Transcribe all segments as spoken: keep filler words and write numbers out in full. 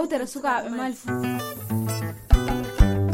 Yewtere sukaaɓe Mali.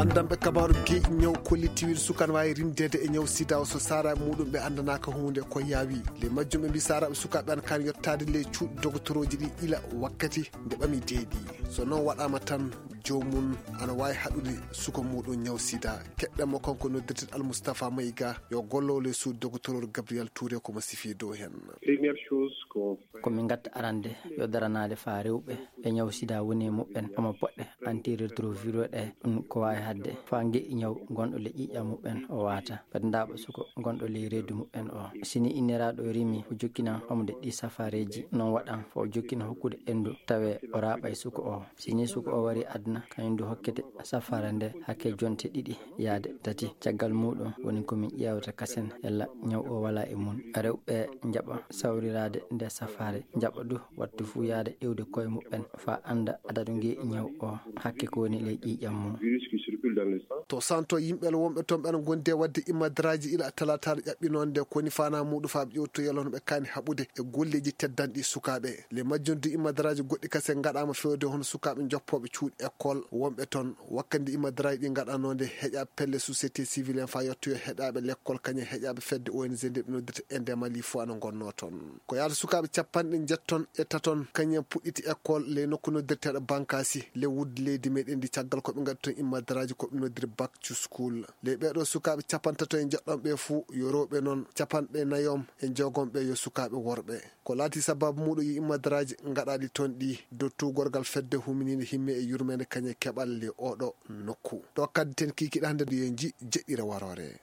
Anndanɓe kabaaru geeƴi ñaw kollitiiɗo suka no waawi rimdeede e ñaw sida o so saaraaɓe muɗum ɓe anndanaaka huunde ko yaawi. Le majjum ɓe mbi saaraaɓe sukaaɓe an kan yottaade le cuuɗi dogotorooji ɗi ila wakkati nde ɓami deeɗi. So noon waɗaama tan, joomum ana waawi haɗude suka muɗum ñaw sida. Keɗɗen mo kanko noddirteeɗo Almustafa Mayiga, yo gollowo le suuɗi dogotorooji Gabriel Touré ko mo sifi dow heen. Première chose qu'on fait, ko min ngatta arande yo daranaade faa rewɓe e ñaw sida woni e muɓɓen, omo poɗɗe antirétroviraux ɗe, ɗum ko waawi haɗde faa ngeƴƴi ñaw gonɗo le ƴiiƴam muɓɓen o waata. Kadi ndaaɓa suko gonɗo ley reedu muɓɓen o. Si ni inniraaɗo rimi, o jokkinan omde ɗi safareeji, noon waɗan faa o jokkina hokkude enndu, tawe o raaɓay suko o. Si ni suko o wari aduna, kañum du hokkete safara nde hakke jonte ɗiɗi yaade tati. Caggal muɗum woni ko min ƴeewata kasen yalla ñaw o wala e mun. Rewɓe njaɓa sawriraade nde safare, njaɓa du wattu fuu yaade iwde koye muɓɓen faa annda adadu ngeƴƴi ñaw o hakke ko woni ley ƴiiƴam mum. Virus qui circule dans le sang. To santo yimɓe wonɓe toon ɓen gondi e waɗde immadaraaji ila talataare ƴaɓɓinoonde ko woni faanaa muɗum faa ɓe ƴewtoyee hono ɓe kaani haɓude e golleeji teddanɗi sukaaɓe. Le majjum du immadaraaji goɗɗi kasen ngaɗaama feewde hono sukaaɓe joppooɓe cuuɗi école wonɓe toon. Wakkati ndi immadaraaji ɗi ngaɗanoonde heƴaaɓe pelle société civile en faa yettoyoo heɗaaɓe lekkol kañum e heƴaaɓe fedde O N G nde ɓe noddirta Ende Mali fof ana ngonnoo toon. Ko yaata sukaaɓe capanɗe njetton e taton kañum en puɗɗiti école ley nokku noddirteeɗo Bankasi ley wudde leydi meɗen ndi caggal ko ɓe ngaɗi toon immadaraaji ko ɓe noddiri back to school. Ley ɓeeɗo sukaaɓe capantato e njeɗɗon ɓe fuu yo rewɓe noon capanɗe nayom e jeegom ɓe yo sukaaɓe worɓe. Ko laati sababu muɗum yo immadaraaji ngaɗaaɗi toon ɗi dow tuugorgal fedde huminiinde himme e yurmeende kañum e keɓal ley oɗo nokku. Ɗo kaddi ten kiikiɗe hannde yo en nji jeɗɗire waroore.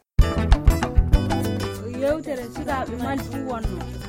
Yewtere sukaaɓe Mali fuu wonno.